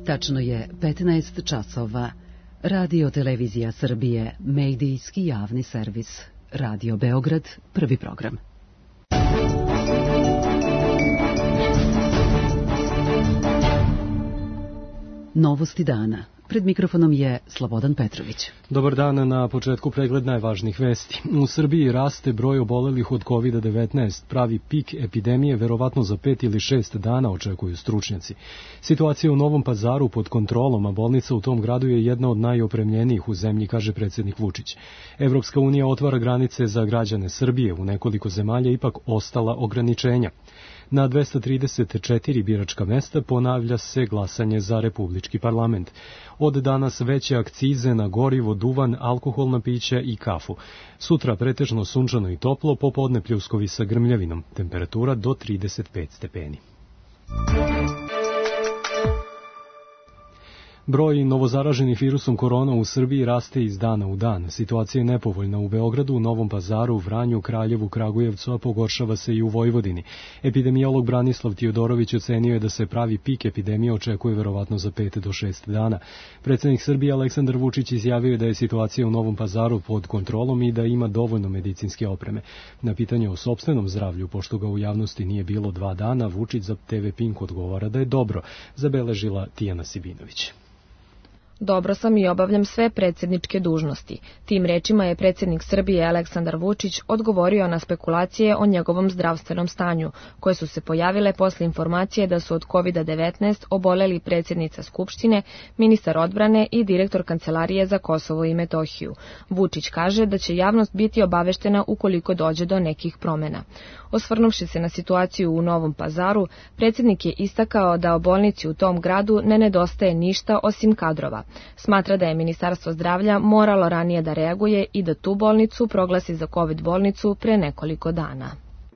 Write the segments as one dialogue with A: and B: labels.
A: Tačno je 15 časova. Radio Televizija Srbije, medijski javni servis. Radio Beograd, prvi program. Novosti dana. Pred mikrofonom je Slobodan Petrović.
B: Dobar dan, na početku pregled najvažnijih vesti. U Srbiji raste broj obolelih od COVID-19. Pravi pik epidemije verovatno za 5 ili 6 dana, očekuju stručnjaci. Situacija u Novom Pazaru pod kontrolom, a bolnica u tom gradu je jedna od najopremljenijih u zemlji, kaže predsjednik Vučić. Evropska unija otvara granice za građane Srbije, u nekoliko zemalja ipak ostala ograničenja. Na 234 biračka mesta ponavlja se glasanje za Republički parlament. Od danas veće akcize na gorivo, duvan, alkoholna pića i kafu. Sutra pretežno sunčano i toplo, popodne pljuskovi sa grmljavinom. Temperatura do 35 stepeni. Broj novozaraženih virusom korona u Srbiji raste iz dana u dan. Situacija je nepovoljna u Beogradu, u Novom Pazaru, Vranju, Kraljevu, Kragujevcu, a pogoršava se i u Vojvodini. Epidemiolog Branislav Tiodorović ocenio je da se pravi pik epidemije očekuje verovatno za 5 do 6 dana. Predsjednik Srbije Aleksandar Vučić izjavio je da je situacija u Novom Pazaru pod kontrolom i da ima dovoljno medicinske opreme. Na pitanje o sopstvenom zdravlju, pošto ga u javnosti nije bilo 2 dana, Vučić za TV Pink odgovara da je dobro, zabeležila Tijana Sibinović.
C: Dobro sam i obavljam sve predsjedničke dužnosti. Tim rečima je predsjednik Srbije Aleksandar Vučić odgovorio na spekulacije o njegovom zdravstvenom stanju, koje su se pojavile posle informacije da su od COVID-19 oboleli predsjednica Skupštine, ministar odbrane i direktor Kancelarije za Kosovo i Metohiju. Vučić kaže da će javnost biti obaveštena ukoliko dođe do nekih promjena. Osvrnuvši se na situaciju u Novom Pazaru, predsjednik je istakao da o bolnici u tom gradu ne nedostaje ništa osim kadrova. Smatra da je Ministarstvo zdravlja moralo ranije da reaguje i da tu bolnicu proglasi za COVID bolnicu pre nekoliko dana.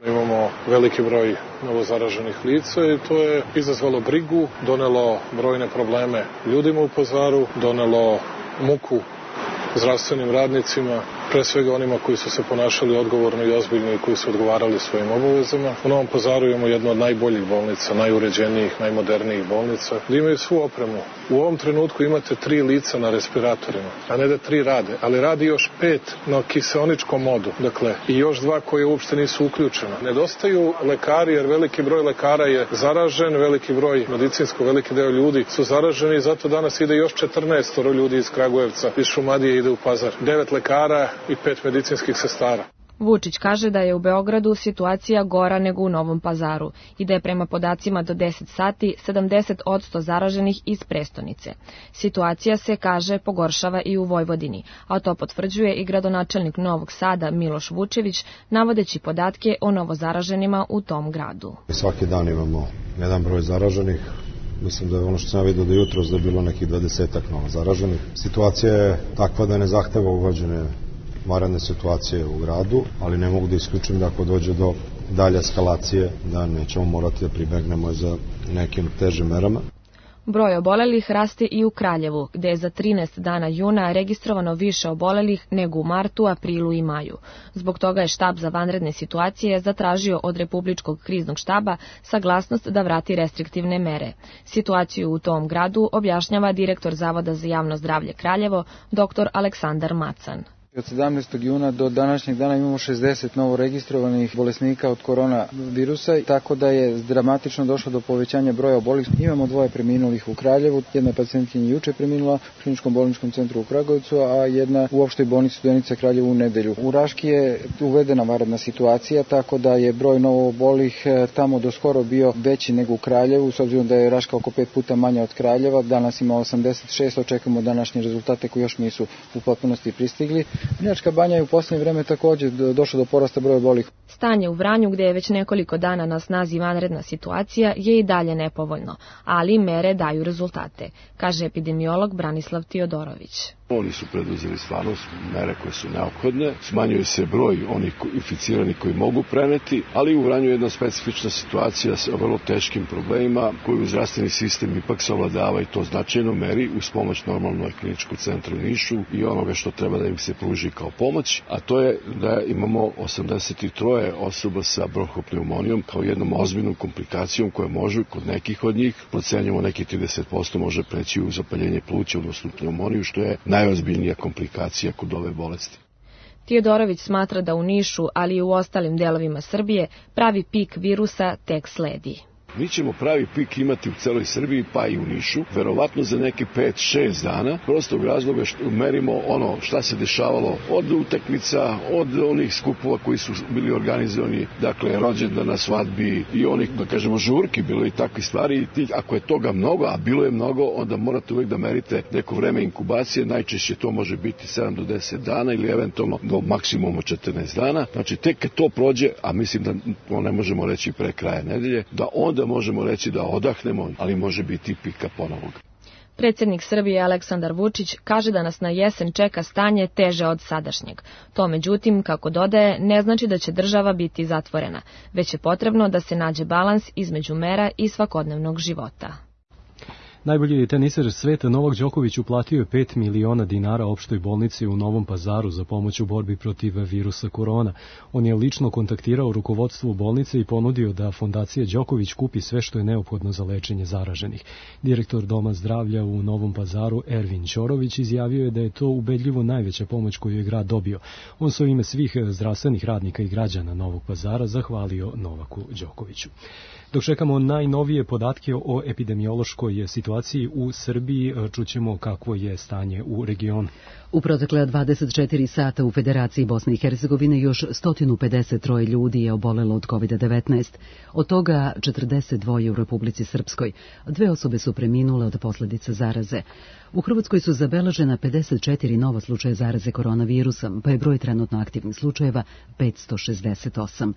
D: Imamo veliki broj novozaraženih lica i to je izazvalo brigu, donelo brojne probleme ljudima u Pazaru, donelo muku zdravstvenim radnicima, pre svega onima koji su se ponašali odgovorno i ozbiljno i koji su odgovarali svojim obavezama. U Novom Pazaru imamo jednu od najboljih bolnica, najuređenijih, najmodernijih bolnica, gdje imaju svu opremu. U ovom trenutku imate 3 lica na respiratorima, a ne da 3 rade, ali radi još 5 na kiseoničkom modu, dakle, i još 2 koje uopšte nisu uključene. Nedostaju lekari jer veliki broj lekara je zaražen, veliki broj veliki deo ljudi su zaraženi i zato danas ide još 14 ljudi iz Kragujevca, iz Šumadije ide u Pazar. 9 lekara i 5 medicinskih sestara.
C: Vučić kaže da je u Beogradu situacija gora nego u Novom Pazaru i da je prema podacima do 10 sati 70% zaraženih iz prestonice. Situacija se, kaže, pogoršava i u Vojvodini, a to potvrđuje i gradonačelnik Novog Sada Miloš Vučević, navodeći podatke o novozaraženima u tom gradu.
E: Svaki dan imamo jedan broj zaraženih. Mislim da je ono što sam vidio da jutros da je bilo nekih 20-ak novozaraženih. Situacija je takva da ne zahteva uvođenje vanredne situacije u gradu, ali ne mogu da isključim da ako dođe do dalje eskalacije, da nećemo morati da pribegnemo za nekim težim merama.
C: Broj obolelih raste i u Kraljevu, gde je za 13 dana juna registrovano više obolelih nego u martu, aprilu i maju. Zbog toga je štab za vanredne situacije zatražio od Republičkog kriznog štaba saglasnost da vrati restriktivne mere. Situaciju u tom gradu objašnjava direktor Zavoda za javno zdravlje Kraljevo, dr. Aleksandar Macan.
F: Od 17. juna do današnjeg dana imamo 60 novo registrovanih bolesnika od koronavirusa, tako da je dramatično došlo do povećanja broja obolelih. Imamo 2 preminulih u Kraljevu, jedna pacijentkinja juče preminula u Kliničkom bolničkom centru u Kragujevcu, a jedna u opštoj bolnici Studenica Kraljevu u nedelju. U Raški je uvedena vanredna situacija, tako da je broj novoobolelih tamo do skoro bio veći nego u Kraljevu, s obzirom da je Raška oko 5 puta manja od Kraljeva. Danas ima 86, očekujemo današnje rezultate koji još nisu u potpunosti pristigli. Vrnjačka Banja je u posljednje vreme također došlo do porasta broja obolelih.
C: Stanje u Vranju, gdje je već nekoliko dana na snazi vanredna situacija, je i dalje nepovoljno, ali mere daju rezultate, kaže epidemiolog Branislav Tiodorović.
G: Oni su preduzeli stvarno mere koje su neophodne, smanjuje se broj onih inficiranih koji mogu preneti, ali u Vranju je jedna specifična situacija sa vrlo teškim problemima koju zdravstveni sistem ipak savladava i to značajno meri uz pomoć normalno kliničkog centra u Nišu i onoga što treba da im se pruži kao pomoć, a to je da imamo 83 osoba sa bronhopneumonijom kao jednom ozbiljnom komplikacijom koja može kod nekih od njih, procenjamo nekih 30% može preći u zapaljenje pluća, odnosno pneumoniju, što je najozbiljnija komplikacija kod ove bolesti.
C: Tijodorović smatra da u Nišu, ali i u ostalim delovima Srbije, pravi pik virusa tek sledi.
G: Mi ćemo pravi pik imati u celoj Srbiji, pa i u Nišu, verovatno za neki 5-6 dana, prostog razloga što merimo ono šta se dešavalo od utakmica, od onih skupova koji su bili organizovani, dakle rođendana, svadbi i onih, da kažemo, žurki, bilo i takve stvari. I ako je toga mnogo, a bilo je mnogo, onda morate uvijek da merite neko vreme inkubacije, najčešće to može biti 7 do 10 dana ili eventualno do maksimuma 14 dana. Znači, tek kad to prođe, a mislim da to ne možemo reći pre kraja nedelje, da onda možemo reći da odahnemo, ali može biti pika ponovog.
C: Predsjednik Srbije Aleksandar Vučić kaže da nas na jesen čeka stanje teže od sadašnjeg. To, međutim, kako dodaje, ne znači da će država biti zatvorena, već je potrebno da se nađe balans između mera i svakodnevnog života.
B: Najbolji teniser sveta Novak Đoković uplatio je 5 miliona dinara opštoj bolnici u Novom Pazaru za pomoć u borbi protiv virusa korona. On je lično kontaktirao rukovodstvo bolnice i ponudio da fondacija Đoković kupi sve što je neophodno za lečenje zaraženih. Direktor Doma zdravlja u Novom Pazaru Ervin Ćorović izjavio je da je to ubedljivo najveća pomoć koju je grad dobio. On se u ime svih zdravstvenih radnika i građana Novog Pazara zahvalio Novaku Đokoviću. Dok čekamo najnovije podatke o epidemiološkoj situaciji u Srbiji, čućemo kakvo je stanje u regionu.
A: U protekle 24 sata u Federaciji Bosne i Hercegovine još 153 ljudi je obolelo od COVID-19, od toga 42 u Republici Srpskoj. 2 osobe su preminule od posljedica zaraze. U Hrvatskoj su zabeležena 54 nova slučaja zaraze koronavirusom, pa je broj trenutno aktivnih slučajeva 568.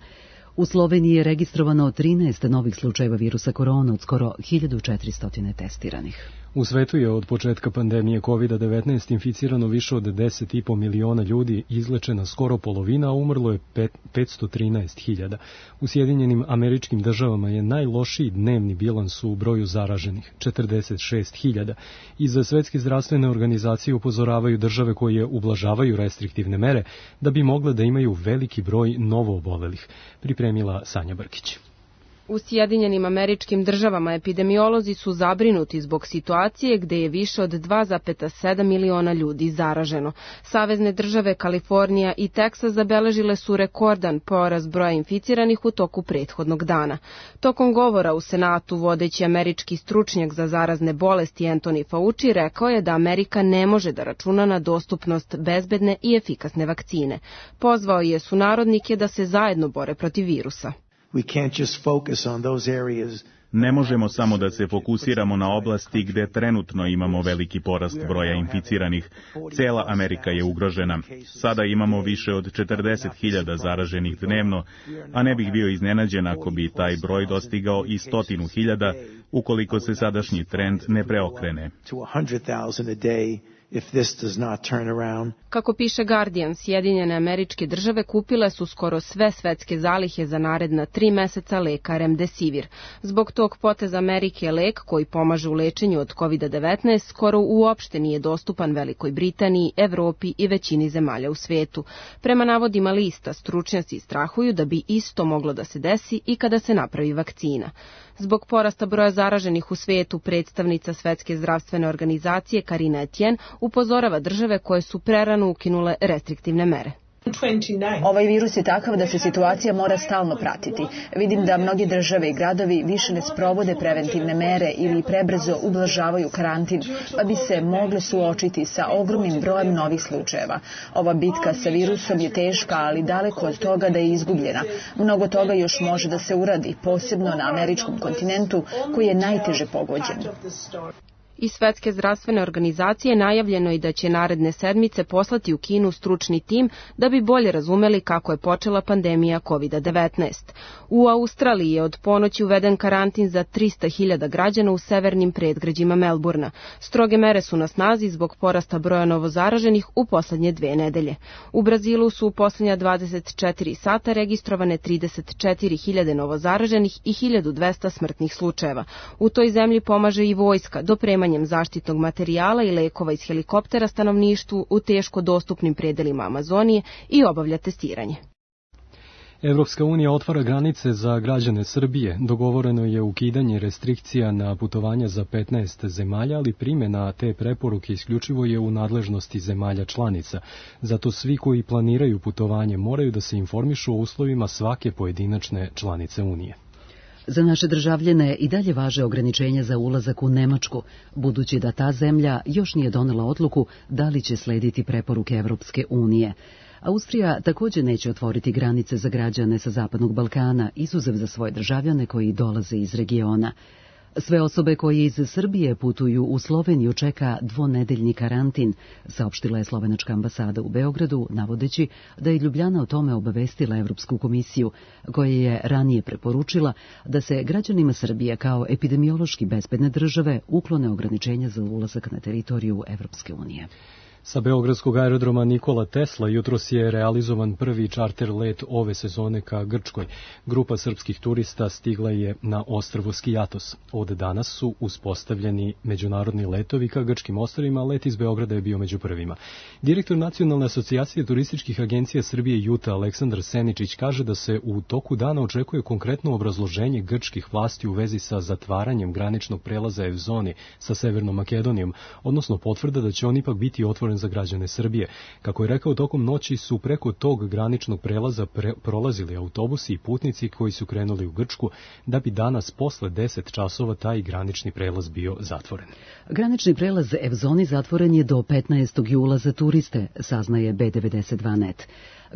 A: U Sloveniji je registrovano 13 novih slučajeva virusa korona od skoro 1400 testiranih.
B: U svetu je od početka pandemije COVID-19 inficirano više od 10,5 miliona ljudi, izlečena skoro polovina, a umrlo je 513.000. U Sjedinjenim Američkim Državama je najlošiji dnevni bilans u broju zaraženih, 46.000. Iz Svetske zdravstvene organizacije upozoravaju države koje ublažavaju restriktivne mere da bi mogle da imaju veliki broj novoobolelih, pripremila Sanja Brkić.
H: U Sjedinjenim Američkim Državama epidemiolozi su zabrinuti zbog situacije gde je više od 2,7 miliona ljudi zaraženo. Savezne države Kalifornija i Teksas zabeležile su rekordan porast broja inficiranih u toku prethodnog dana. Tokom govora u Senatu vodeći američki stručnjak za zarazne bolesti Anthony Fauci rekao je da Amerika ne može da računa na dostupnost bezbedne i efikasne vakcine. Pozvao je sunarodnike da se zajedno bore protiv virusa.
I: Ne možemo samo da se fokusiramo na oblasti gde trenutno imamo veliki porast broja inficiranih. Cela Amerika je ugrožena. Sada imamo više od 40.000 zaraženih dnevno, a ne bih bio iznenađen ako bi taj broj dostigao i 100.000 ukoliko se sadašnji trend ne preokrene.
H: Kako piše Guardian, Sjedinjene Američke Države kupile su skoro sve svetske zalihe za naredna 3 meseca leka Remdesivir. Zbog tog poteza Amerike lek koji pomaže u lečenju od COVID-19 skoro uopšte nije dostupan Velikoj Britaniji, Evropi i većini zemalja u svetu. Prema navodima lista, stručnjaci strahuju da bi isto moglo da se desi i kada se napravi vakcina. Zbog porasta broja zaraženih u svetu, predstavnica Svetske zdravstvene organizacije Karina Etienne upozorava države koje su prerano ukinule restriktivne mere.
J: Ovaj virus je takav da se situacija mora stalno pratiti. Vidim da mnogi države i gradovi više ne sprovode preventivne mere ili prebrzo ublažavaju karantin, pa bi se mogle suočiti sa ogromnim brojem novih slučajeva. Ova bitka sa virusom je teška, ali daleko od toga da je izgubljena. Mnogo toga još može da se uradi, posebno na američkom kontinentu koji je najteže pogođen.
H: Iz Svetske zdravstvene organizacije najavljeno je da će naredne sedmice poslati u Kinu stručni tim da bi bolje razumeli kako je počela pandemija COVID-19. U Australiji je od ponoći uveden karantin za 300.000 građana u severnim predgrađima Melburna. Stroge mere su na snazi zbog porasta broja novozaraženih u poslednje 2 nedelje. U Brazilu su u poslednja 24 sata registrovane 34.000 novozaraženih i 1.200 smrtnih slučajeva. U toj zemlji pomaže i vojska dopremanjem zaštitnog materijala i lekova iz helikoptera stanovništvu u teško dostupnim predelima Amazonije i obavlja testiranje.
B: Evropska unija otvara granice za građane Srbije. Dogovoreno je ukidanje restrikcija na putovanja za 15 zemalja, ali primjena te preporuke isključivo je u nadležnosti zemalja članica. Zato svi koji planiraju putovanje moraju da se informišu o uslovima svake pojedinačne članice Unije.
A: Za naše državljane i dalje važe ograničenja za ulazak u Nemačku, budući da ta zemlja još nije donela odluku da li će slediti preporuke Evropske unije. Austrija također neće otvoriti granice za građane sa Zapadnog Balkana, izuzev za svoje državljane koji dolaze iz regiona. Sve osobe koje iz Srbije putuju u Sloveniju čeka 2-nedeljni karantin, saopštila je slovenačka ambasada u Beogradu, navodeći da je Ljubljana o tome obavestila Evropsku komisiju, koja je ranije preporučila da se građanima Srbije kao epidemiološki bezbedne države uklone ograničenja za ulazak na teritoriju Evropske unije.
B: Sa beogradskog aerodroma Nikola Tesla jutros je realizovan prvi čarter let ove sezone ka Grčkoj. Grupa srpskih turista stigla je na ostrvo Skijatos. Od danas su uspostavljeni međunarodni letovi ka grčkim ostrvima, let iz Beograda je bio među prvima. Direktor Nacionalne asocijacije turističkih agencija Srbije Juta Aleksandar Seničić kaže da se u toku dana očekuje konkretno obrazloženje grčkih vlasti u vezi sa zatvaranjem graničnog prelaza Evzoni sa Severnom Makedonijom, odnosno potvrda da će on ipak biti otvoren za građane Srbije. Kako je rekao, tokom noći su preko tog graničnog prelaza prolazili autobusi i putnici koji su krenuli u Grčku, da bi danas posle 10 časova taj granični prelaz bio zatvoren.
A: Granični prelaz Evzoni zatvoren je do 15. jula za turiste, saznaje B92net.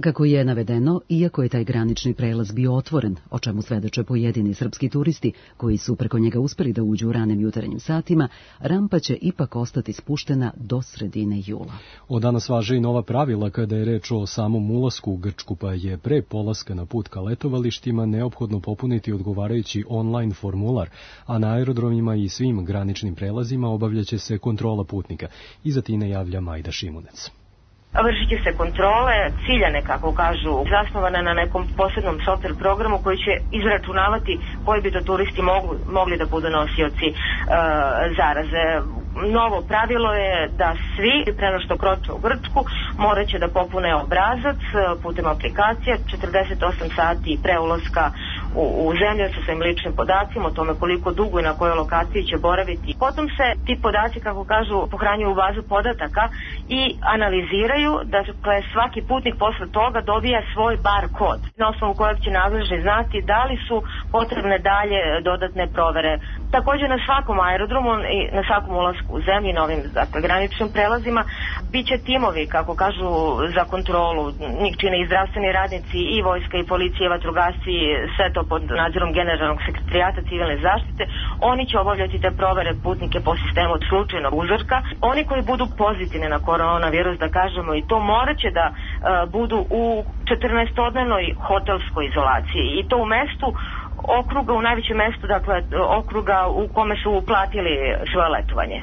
A: Kako je navedeno, iako je taj granični prelaz bio otvoren, o čemu svedoče pojedini srpski turisti koji su preko njega uspeli da uđu u ranim jutarnjim satima, rampa će ipak ostati spuštena do sredine jula.
B: Od danas važe i nova pravila kada je reč o samom ulasku u Grčku, pa je pre polaska na put ka letovalištima neophodno popuniti odgovarajući online formular, a na aerodromima i svim graničnim prelazima obavljaće se kontrola putnika. Iza Tine javlja Majda Šimunec.
K: Vršit će se kontrole, ciljane, kako kažu, zasnovane na nekom posebnom software programu koji će izračunavati koji bi to turisti mogli da budu nosioci zaraze. Novo pravilo je da svi, pre nego što kroče u Grčku, morat će da popune obrazac putem aplikacije 48 sati pre ulaska u zemlju sa svojim ličnim podacima o tome koliko dugo i na kojoj lokaciji će boraviti. Potom se ti podaci, kako kažu, pohranjuju u bazu podataka i analiziraju, da svaki putnik posle toga dobija svoj bar kod, na osnovu kojeg će nadležni znati da li su potrebne dalje dodatne provere. Također na svakom aerodromu i na svakom ulasku u zemlji, na ovim graničnim prelazima, biće timovi, kako kažu, za kontrolu. Njih čine i zdravstveni radnici, i vojska, i policija, i vatrogasci, sve to pod nadzorom Generalnog sekretarijata civilne zaštite. Oni će obavljati te provere putnike po sistemu od slučajnog uzorka. Oni koji budu pozitivni na koronavirus, da kažemo i to, morat će da budu u 14-dnevnoj hotelskoj izolaciji, i to u mestu okruga, u najvećem mestu, dakle okruga u kome su uplatili svoje letovanje.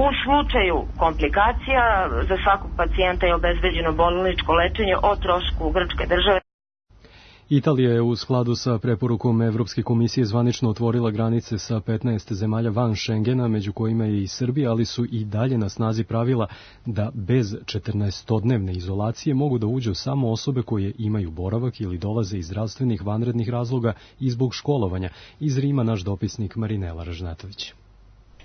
K: U slučaju komplikacija za svakog pacijenta je obezbeđeno bolničko lečenje o trošku grčke države.
B: Italija je u skladu sa preporukom Evropske komisije zvanično otvorila granice sa 15 zemalja van Schengena, među kojima je i Srbija, ali su i dalje na snazi pravila da bez 14-dnevne izolacije mogu da uđu samo osobe koje imaju boravak ili dolaze iz zdravstvenih vanrednih razloga i zbog školovanja. Iz Rima naš dopisnik Marinela Ražnatović.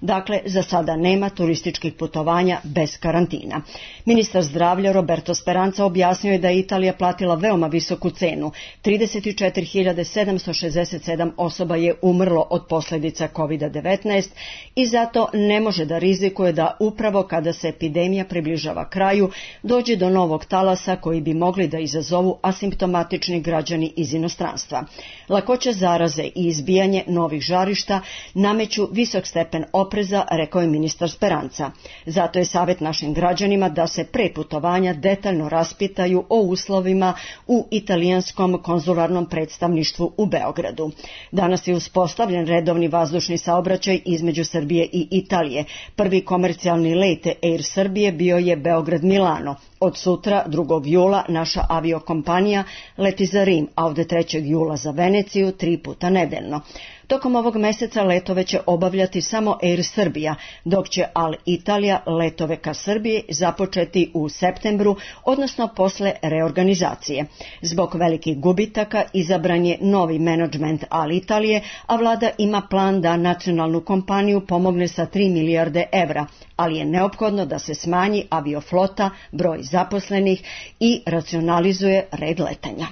L: Dakle, za sada nema turističkih putovanja bez karantina. Ministar zdravlja Roberto Speranza objasnio je da je Italija platila veoma visoku cenu. 34.767 osoba je umrlo od posljedica COVID-19 i zato ne može da rizikuje da upravo kada se epidemija približava kraju dođe do novog talasa koji bi mogli da izazovu asimptomatični građani iz inostranstva. Lakoća zaraze i izbijanje novih žarišta nameću visok stepen opasnosti opreza, rekao je ministar Speranza. Zato je savjet našim građanima da se pre putovanja detaljno raspitaju o uslovima u italijanskom konzularnom predstavništvu u Beogradu. Danas je uspostavljen redovni vazdušni saobraćaj između Srbije i Italije. Prvi komercijalni let Air Srbije bio je Beograd-Milano. Od sutra, 2. jula, naša aviokompanija leti za Rim, a od 3. jula za Veneciju 3 puta nedeljno. Tokom ovog meseca letove će obavljati samo Air Srbija, dok će Al-Italija letove ka Srbiji započeti u septembru, odnosno posle reorganizacije. Zbog velikih gubitaka izabran je novi menadžment Al-Italije, a vlada ima plan da nacionalnu kompaniju pomogne sa 3 milijarde evra, ali je neophodno da se smanji avioflota, broj zaposlenih i racionalizuje red letanja.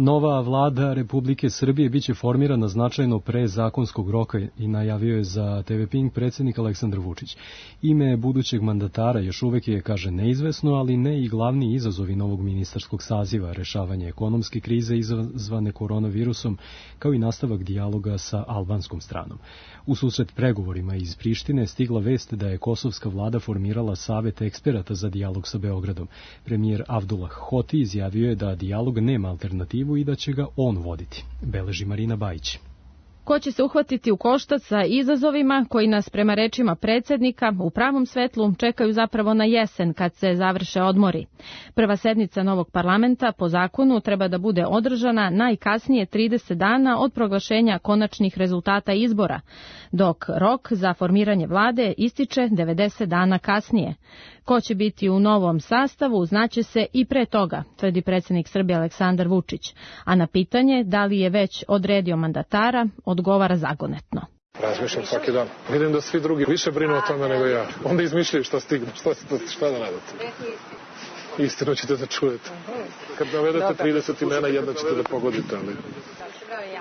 B: Nova vlada Republike Srbije biće formirana značajno pre zakonskog roka i najavio je za TV Pink predsjednik Aleksandar Vučić. Ime budućeg mandatara još uvek je, kaže, neizvesno, ali ne i glavni izazovi novog ministarskog saziva, rešavanje ekonomske krize izazvane koronavirusom, kao i nastavak dijaloga sa albanskom stranom. U susret pregovorima iz Prištine stigla vest da je kosovska vlada formirala savet eksperata za dijalog sa Beogradom. Premijer Avdullah Hoti izjavio je da dijalog nema alternativu i da će ga on voditi. Beleži Marina Bajić.
C: Ko će se uhvatiti u koštac sa izazovima koji nas, prema rečima predsjednika, u pravom svetlu čekaju zapravo na jesen kad se završe odmori. Prva sednica novog parlamenta po zakonu treba da bude održana najkasnije 30 dana od proglašenja konačnih rezultata izbora, dok rok za formiranje vlade ističe 90 dana kasnije. Ko će biti u novom sastavu znaće se i pre toga, tvrdi predsjednik Srbije Aleksandar Vučić, a na pitanje da li je već odredio mandatara, odgovara zagonetno.
D: Razmišljam svaki dan. Vidim da svi drugi više brinu o tome nego ja. Onda izmišljaju šta stignu, šta da radite. Istinu ćete da čujete. Kad navedete 30 imena, jedna ćete da pogodite, ali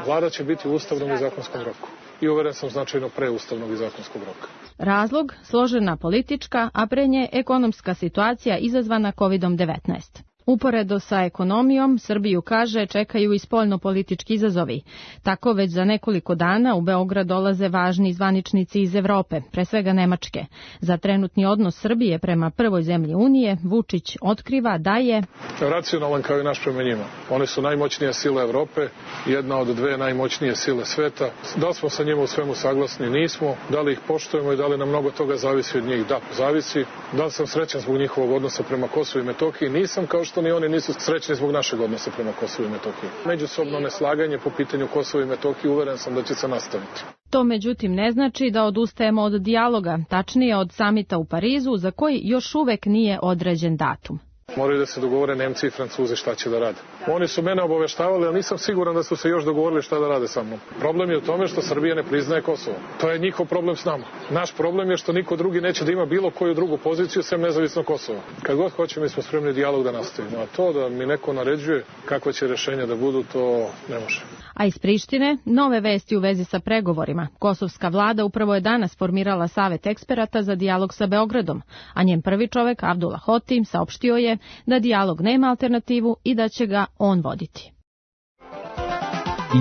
D: vlada će biti u ustavnom i zakonskom roku. I uveren sam značajno pre ustavnog i zakonskog roka.
C: Razlog, složena politička, a pre nje ekonomska situacija izazvana COVID-19. Uporedo sa ekonomijom, Srbiju, kaže, čekaju i spoljno-politički izazovi. Tako već za nekoliko dana u Beograd dolaze važni zvaničnici iz Evrope, pre svega Nemačke. Za trenutni odnos Srbije prema prvoj zemlji Unije, Vučić otkriva da je
D: racionalan kao i naš prema njima. One su najmoćnija sila Evrope, jedna od dve najmoćnije sile sveta. Da li smo sa njima u svemu saglasni? Nismo. Da li ih poštujemo i da li nam mnogo toga zavisi od njih? Da, zavisi. Da li sam srećan zbog njihovog odnosa prema Kosovu i Metohiji? Nisam, kao što ni oni nisu srećni zbog našeg odnosa prema Kosovu i Metohiji. Međusobno neslaganje po pitanju Kosova i Metohije uveren sam da će se nastaviti.
C: To međutim ne znači da odustajemo od dijaloga, tačnije od samita u Parizu, za koji još uvek nije određen datum.
D: Moraju da se dogovore Nemci i Francuzi šta će da rade. Oni su mene obaveštavali, ali nisam siguran da su se još dogovorili šta da rade sa mnom. Problem je u tome što Srbija ne priznaje Kosovo. To je njihov problem s nama. Naš problem je što niko drugi neće da ima bilo koju drugu poziciju sem nezavisno Kosovo. Kad god hoće, mi smo spremni dijalog da nastavimo. A to da mi neko naređuje kakva će rešenja da budu, to ne može.
C: A iz Prištine nove vesti u vezi sa pregovorima. Kosovska vlada upravo je danas formirala savet eksperata za dijalog sa Beogradom, a njen prvi čovek, Avdullah Hoti, saopštio je da dijalog nema alternativu i da će ga on voditi.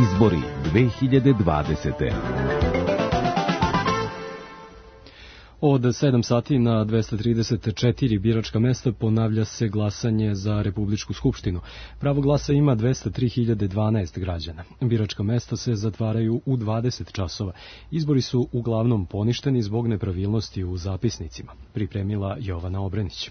M: Izbori 2020.
B: Od 7 sati na 234 biračka mesta ponavlja se glasanje za Republičku skupštinu. Pravo glasa ima 203.012 građana. Biračka mesta se zatvaraju u 20 časova. Izbori su uglavnom poništeni zbog nepravilnosti u zapisnicima. Pripremila Jovana Obrenić.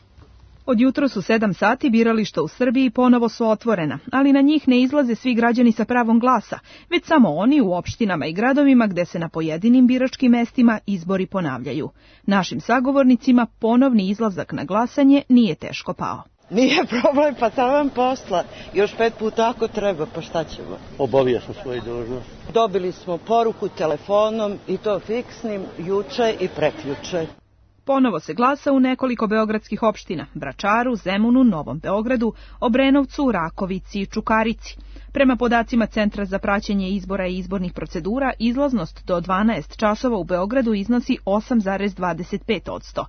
N: Od jutros u 7 sati birališta u Srbiji ponovo su otvorena, ali na njih ne izlaze svi građani sa pravom glasa, već samo oni u opštinama i gradovima gde se na pojedinim biračkim mestima izbori ponavljaju. Našim sagovornicima ponovni izlazak na glasanje nije teško pao.
O: Nije problem, pa taman posla. Još 5 puta ako treba, pa šta ćemo?
P: Obavio sam svoju dužnost.
O: Dobili smo poruku telefonom i to fiksnim juče i prekjuče.
N: Ponovo se glasa u nekoliko beogradskih opština, Vračaru, Zemunu, Novom Beogradu, Obrenovcu, Rakovici i Čukarici. Prema podacima Centra za praćenje izbora i izbornih procedura, izlaznost do 12 časova u Beogradu iznosi 8,25%.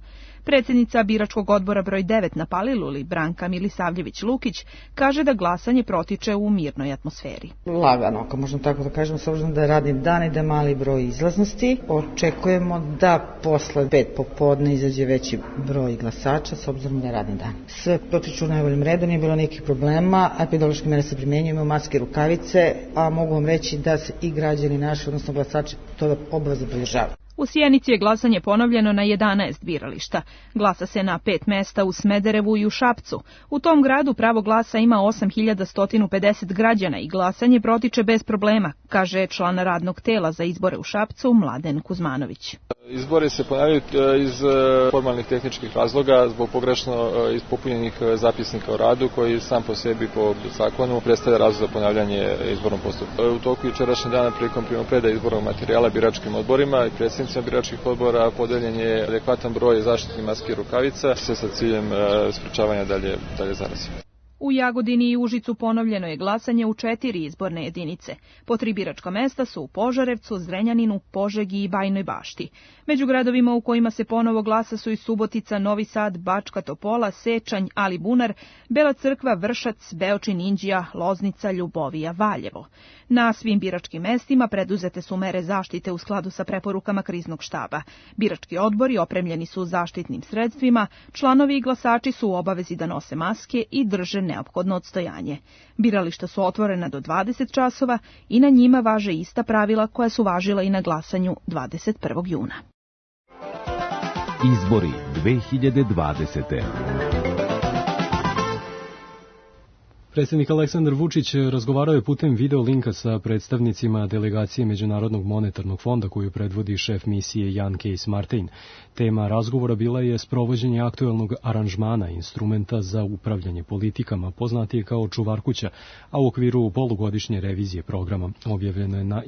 N: Predsjednica biračkog odbora broj 9 na Paliluli, Branka Milisavljević-Lukić, kaže da glasanje protiče u mirnoj atmosferi.
Q: Lagano, ako možemo tako da kažemo, s obzirom da je radni dan i da je mali broj izlaznosti, očekujemo da posle 5 popodne izađe veći broj glasača, s obzirom da je radni dan. Sve protiču u najboljim redu, nije bilo nekih problema, epidemiološke mere se primjenjuju, imaju maske, rukavice, a mogu vam reći da se i građani naši, odnosno glasači, to obavezno pridržavaju.
N: U Sjenici je glasanje ponovljeno na 11 birališta. Glasa se na 5 mesta u Smederevu i u Šapcu. U tom gradu pravo glasa ima 8150 građana i glasanje protiče bez problema, kaže član radnog tela za izbore u Šapcu Mladen Kuzmanović.
R: Izbori se ponavljaju iz formalnih tehničkih razloga zbog pogrešno ispopunjenih zapisnika o radu koji sam po sebi po zakonu predstavlja razlog za ponavljanje izbornog postupka. U toku jučerašnjeg dana prilikom primopredaje izbornog materijala biračkim odborima i predsjednicima biračkih odbora podeljen je adekvatan broj zaštitnih maski i rukavica, sve sa ciljem sprečavanja dalje zaraze.
N: U Jagodini i Užicu ponovljeno je glasanje u 4 izborne jedinice. Po 3 biračka mesta su u Požarevcu, Zrenjaninu, Požegi i Bajnoj Bašti. Među gradovima u kojima se ponovo glasa su i Subotica, Novi Sad, Bačka Topola, Sečanj, Alibunar, Bela Crkva, Vršac, Beočin, Inđija, Loznica, Ljubovija, Valjevo. Na svim biračkim mestima preduzete su mere zaštite u skladu sa preporukama kriznog štaba. Birački odbori opremljeni su zaštitnim sredstvima, članovi i glasači su u obavezi da nose maske i drže neophodno odstojanje. Birališta su otvorena do 20 časova i na njima važe ista pravila koja su važila i na glasanju 21. juna.
M: Izbori 2020.
B: Predsjednik Aleksandar Vučić razgovarao je putem video linka sa predstavnicima delegacije Međunarodnog monetarnog fonda koju predvodi šef misije Jan Kees-Martin. Tema razgovora bila je sprovođenje aktuelnog aranžmana, instrumenta za upravljanje politikama, poznatije kao Čuvarkuća, a u okviru polugodišnje revizije programa, objavljeno je na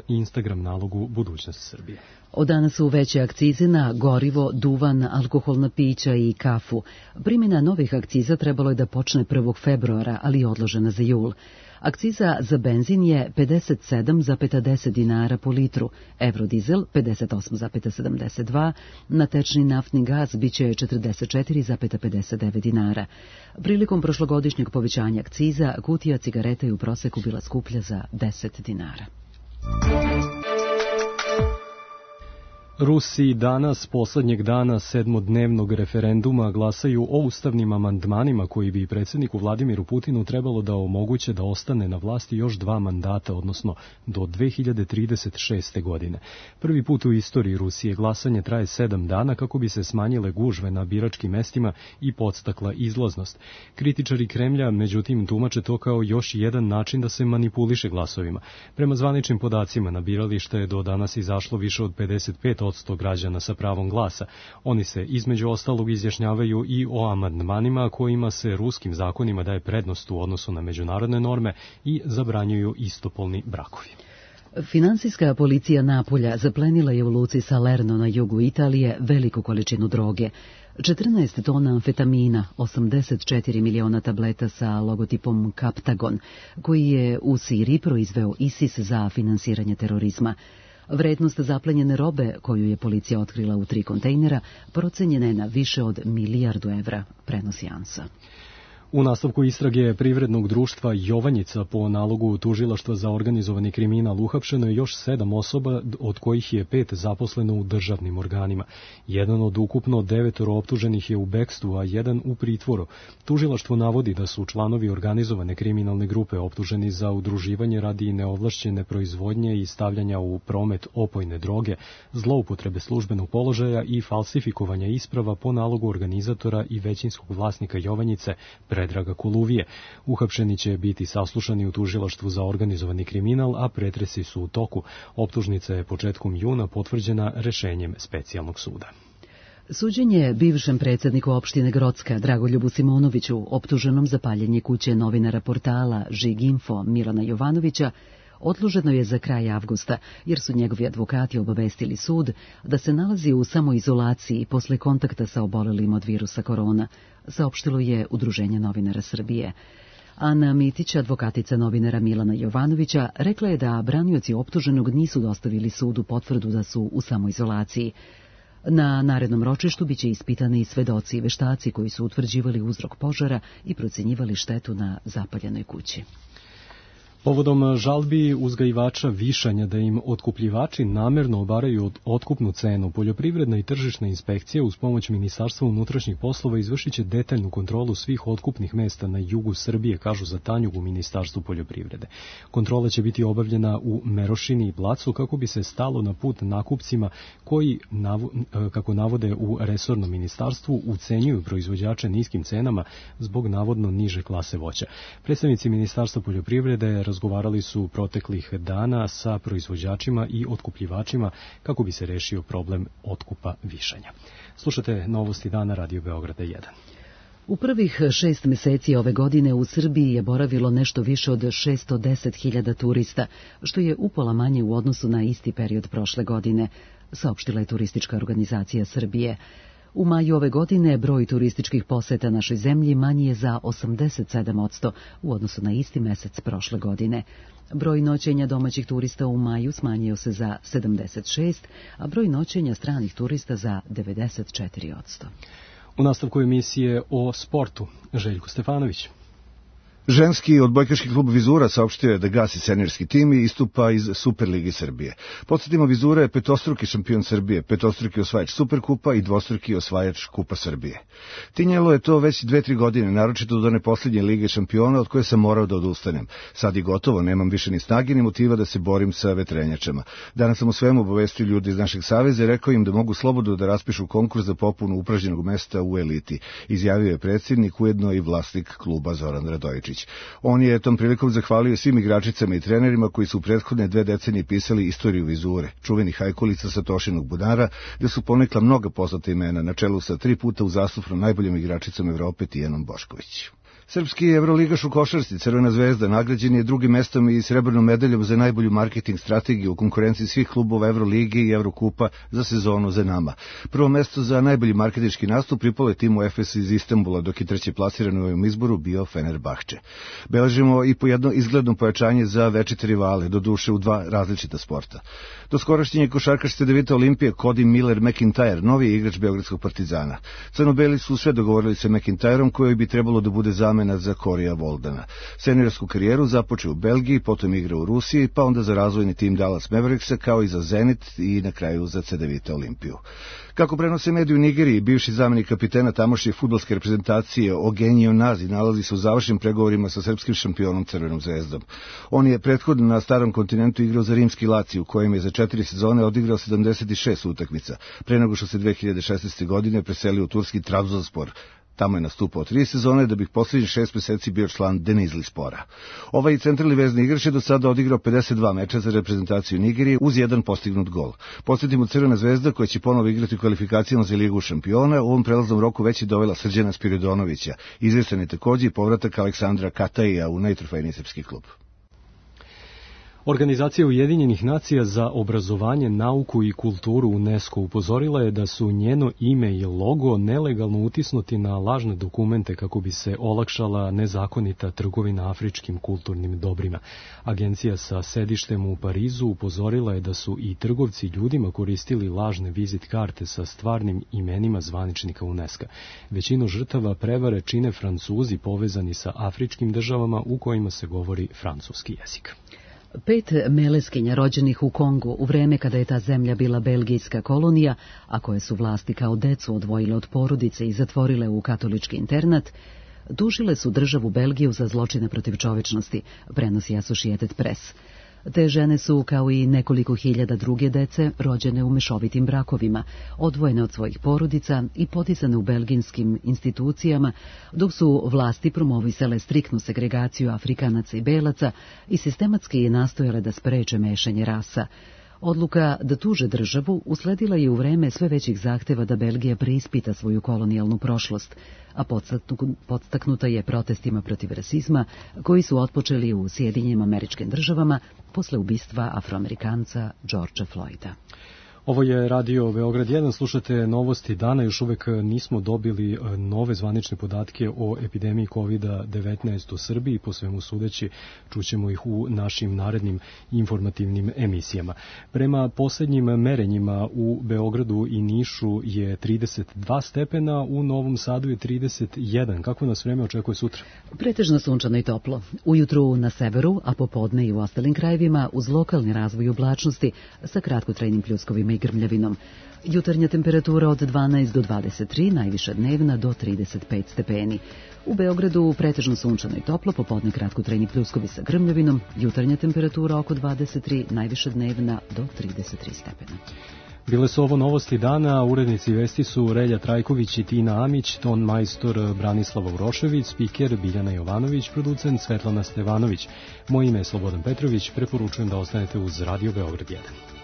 B: Instagram nalogu Budućnost Srbije.
A: Od danas su veće akcize na gorivo, duvan, alkoholna pića i kafu. Primjena novih akciza trebalo je da počne 1. februara, ali je odložena za jul. Akciza za benzin je 57,10 dinara po litru, evrodizel 58,72, na tečni naftni gaz biće 44,59 dinara. Prilikom prošlogodišnjeg povećanja akciza, kutija cigareta je u proseku bila skuplja za 10 dinara.
B: Rusi danas, poslednjeg dana 7-dnevnog referenduma, glasaju o ustavnim amandmanima koji bi predsjedniku Vladimiru Putinu trebalo da omoguće da ostane na vlasti još 2 mandata, odnosno do 2036. godine. Prvi put u istoriji Rusije glasanje traje 7 dana kako bi se smanjile gužve na biračkim mestima i podstakla izlaznost. Kritičari Kremlja, međutim, tumače to kao još jedan način da se manipuliše glasovima. Prema zvaničnim podacima, na biralište je do danas izašlo više od 55% građana sa pravom glasa. Oni se između ostalog izjašnjavaju i o amandmanima kojima se ruskim zakonima daje prednost u odnosu na međunarodne norme i zabranjuju istopolni brakovi.
A: Finansijska policija Napulja zaplenila je u luci Salerno na jugu Italije veliku količinu droge. 14 tona amfetamina, 84 miliona tableta sa logotipom Captagon, koji je u Siriji proizveo ISIS za finansiranje terorizma. Vrednost zaplenjene robe, koju je policija otkrila u 3 kontejnera, procenjena je na više od 1 milijardu evra, prenosi ANSA.
B: U nastavku istrage privrednog društva Jovanjica po nalogu tužilaštva za organizovani kriminal uhapšeno je još 7 osoba, od kojih je 5 zaposleno u državnim organima. Jedan od ukupno 9 optuženih je u bekstvu, a jedan u pritvoru. Tužilaštvo navodi da su članovi organizovane kriminalne grupe optuženi za udruživanje radi neovlašćene proizvodnje i stavljanja u promet opojne droge, zloupotrebe službenog položaja i falsifikovanja isprava po nalogu organizatora i većinskog vlasnika Jovanjice, Predraga Kuluvije. Uhapšeni će biti saslušani u tužilaštvu za organizovani kriminal, a pretresi su u toku. Optužnica je početkom juna potvrđena rešenjem specijalnog suda.
A: Suđenje bivšem predsjedniku opštine Grocka Dragoljubu Simonoviću, optuženom za paljenje kuće novinara portala Žiginfo Milana Jovanovića, odloženo je za kraj avgusta, jer su njegovi advokati obavestili sud da se nalazi u samoizolaciji posle kontakta sa obolelim od virusa korona, saopštilo je Udruženje novinara Srbije. Ana Mitić, advokatica novinara Milana Jovanovića, rekla je da branioci optuženog nisu dostavili sudu potvrdu da su u samoizolaciji. Na narednom ročištu biće ispitani i svedoci i veštaci koji su utvrđivali uzrok požara i procenjivali štetu na zapaljenoj kući.
B: Povodom žalbi uzgajivača višanja da im otkupljivači namerno obaraju otkupnu cenu, poljoprivredna i tržišna inspekcija uz pomoć Ministarstva unutrašnjih poslova izvršit će detaljnu kontrolu svih otkupnih mesta na jugu Srbije, kažu za Tanjug u Ministarstvu poljoprivrede. Kontrola će biti obavljena u Merošini i Blacu kako bi se stalo na put nakupcima koji, kako navode u resornom ministarstvu, ucenjuju proizvođače niskim cenama zbog navodno niže klase voća. Predstavnici Ministarstva poljoprivrede razgovarali su proteklih dana sa proizvođačima i otkupljivačima kako bi se rešio problem otkupa višanja. Slušate novosti dana Radio Beograda 1.
A: U prvih 6 meseci ove godine u Srbiji je boravilo nešto više od 610.000 turista, što je upola manje u odnosu na isti period prošle godine, saopštila je Turistička organizacija Srbije. U maju ove godine broj turističkih poseta našoj zemlji manji je za 87% u odnosu na isti mesec prošle godine. Broj noćenja domaćih turista u maju smanjio se za 76%, a broj noćenja stranih turista za 94%.
B: U nastavku emisije o sportu, Željko Stefanović.
S: Ženski odbojkaški klub Vizura saopštio je da gasi seniorski tim i istupa iz Superligi Srbije. Podsjetimo, Vizura je petostruki šampion Srbije, petostruki osvajač Superkupa i dvostruki osvajač Kupa Srbije. Tinjelo je to već 2-3 godine, naročito do one posljednje Lige šampiona od koje sam morao da odustanem. Sad je gotovo, nemam više ni snage ni motiva da se borim sa vetrenjačama. Danas sam o svemu obavestio ljudi iz našeg saveza i rekao im da mogu slobodno da raspišu konkurs za popunu upražnjenog mesta u eliti, izjavio je predsjednik, ujedno i vlasnik kluba Zoran Radojičić. On je tom prilikom zahvalio svim igračicama i trenerima koji su u prethodne 2 decenije pisali istoriju Vizure, čuvenih hajkulica sa Tošinog bunara, gde su ponekla mnoga poznata imena, na čelu sa 3 puta uzastopno najboljom igračicom Evrope Tijanom Bošković. Srpski evroligaš u košarci Crvena zvezda nagrađen je drugim mestom i srebrnom medaljom za najbolju marketing strategiju u konkurenciji svih klubova Evrolige i Evrokupa za sezonu za nama. Prvo mesto za najbolji marketinški nastup pripalo je timu Efes iz Istanbula, dok je treći plasiran u ovom izboru bio Fenerbahče. Beležimo i po jedno izgledno pojačanje za večite rivale, doduše u 2 različita sporta. Do skorašnje košarkaš Cedevita Olimpije Cody Miller-McIntyre, novi igrač Beogradskog Partizana. Crnobeli su sve dogovorili sa McIntyreom, koji bi trebalo da bude zamena za Korija Voldana. Seniorsku karijeru započeo u Belgiji, potom igra u Rusiji, pa onda za razvojni tim Dallas Mavericksa, kao i za Zenit i na kraju za Cedevita Olimpiju. Kako prenose mediji u Nigeriji, bivši zamenik kapitena tamošnje fudbalske reprezentacije Ogenio Nazi nalazi se u završnim pregovorima sa srpskim šampionom Crvenom zvezdom. On je prethodno na starom kontinentu igrao za rimski Lazio, u kojem je za 4 sezone odigrao 76 utakmica, pre nego što se 2016. godine preselio u turski Trabzonspor. Tamo je nastupao 3 sezone, da bih posljednjih 6 meseci bio član Denizli Spora. Ovaj centralni vezni igrač je do sada odigrao 52 meča za reprezentaciju Nigerije uz 1 postignut gol. Podsjetimo, Crvena zvezda, koja će ponovo igrati u kvalifikacijama za Ligu šampiona, u ovom prelaznom roku već je dovela Srđana Spiridonovića. Izvestan je takođe i povratak Aleksandra Kataija u najtrofejniji srpski klub.
B: Organizacija Ujedinjenih nacija za obrazovanje, nauku i kulturu UNESCO upozorila je da su njeno ime i logo nelegalno utisnuti na lažne dokumente kako bi se olakšala nezakonita trgovina afričkim kulturnim dobrima. Agencija sa sedištem u Parizu upozorila je da su i trgovci ljudima koristili lažne vizit karte sa stvarnim imenima zvaničnika UNESCO. Većinu žrtava prevare čine Francuzi povezani sa afričkim državama u kojima se govori francuski jezik.
A: 5 meleskinja rođenih u Kongu u vreme kada je ta zemlja bila belgijska kolonija, a koje su vlasti kao decu odvojile od porodice i zatvorile u katolički internat, tužile su državu Belgiju za zločine protiv čovečnosti, prenosi Associated Press. Te žene su, kao i nekoliko hiljada druge dece, rođene u mešovitim brakovima, odvojene od svojih porodica i potisane u belgijskim institucijama, dok su vlasti promovisale striktnu segregaciju Afrikanaca i Belaca i sistematski nastojale da spreče mešanje rasa. Odluka da tuže državu usledila je u vreme sve većih zahteva da Belgija preispita svoju kolonijalnu prošlost, a podstaknuta je protestima protiv rasizma koji su otpočeli u Sjedinjenim Američkim Državama posle ubistva Afroamerikanca Georgea Floyda.
B: Ovo je Radio Beograd 1, slušate novosti dana, još uvek nismo dobili nove zvanične podatke o epidemiji COVID-19 u Srbiji, po svemu sudeći čućemo ih u našim narednim informativnim emisijama. Prema poslednjim merenjima u Beogradu i Nišu je 32 stepena, u Novom Sadu je 31. Kako nas vreme očekuje sutra?
A: Pretežno sunčano i toplo. Ujutru na severu, a popodne i u ostalim krajevima uz lokalni razvoj oblačnosti sa kratkotrajnim pljuskovima i grmljavinom. Jutarnja temperatura od 12 do 23, najviša dnevna do 35 stepeni. U Beogradu pretežno sunčano i toplo, popodne kratkotrajni pljuskovi sa grmljavinom, jutarnja temperatura oko 23, najviša dnevna do 33 stepena.
B: Bile su ovo novosti dana, urednici vesti su Relja Trajković i Tina Amić, ton majstor Branislava Urošević, spiker Biljana Jovanović, producent Svetlana Stevanović. Moje ime je Slobodan Petrović, preporučujem da ostanete uz Radio Beograd 1.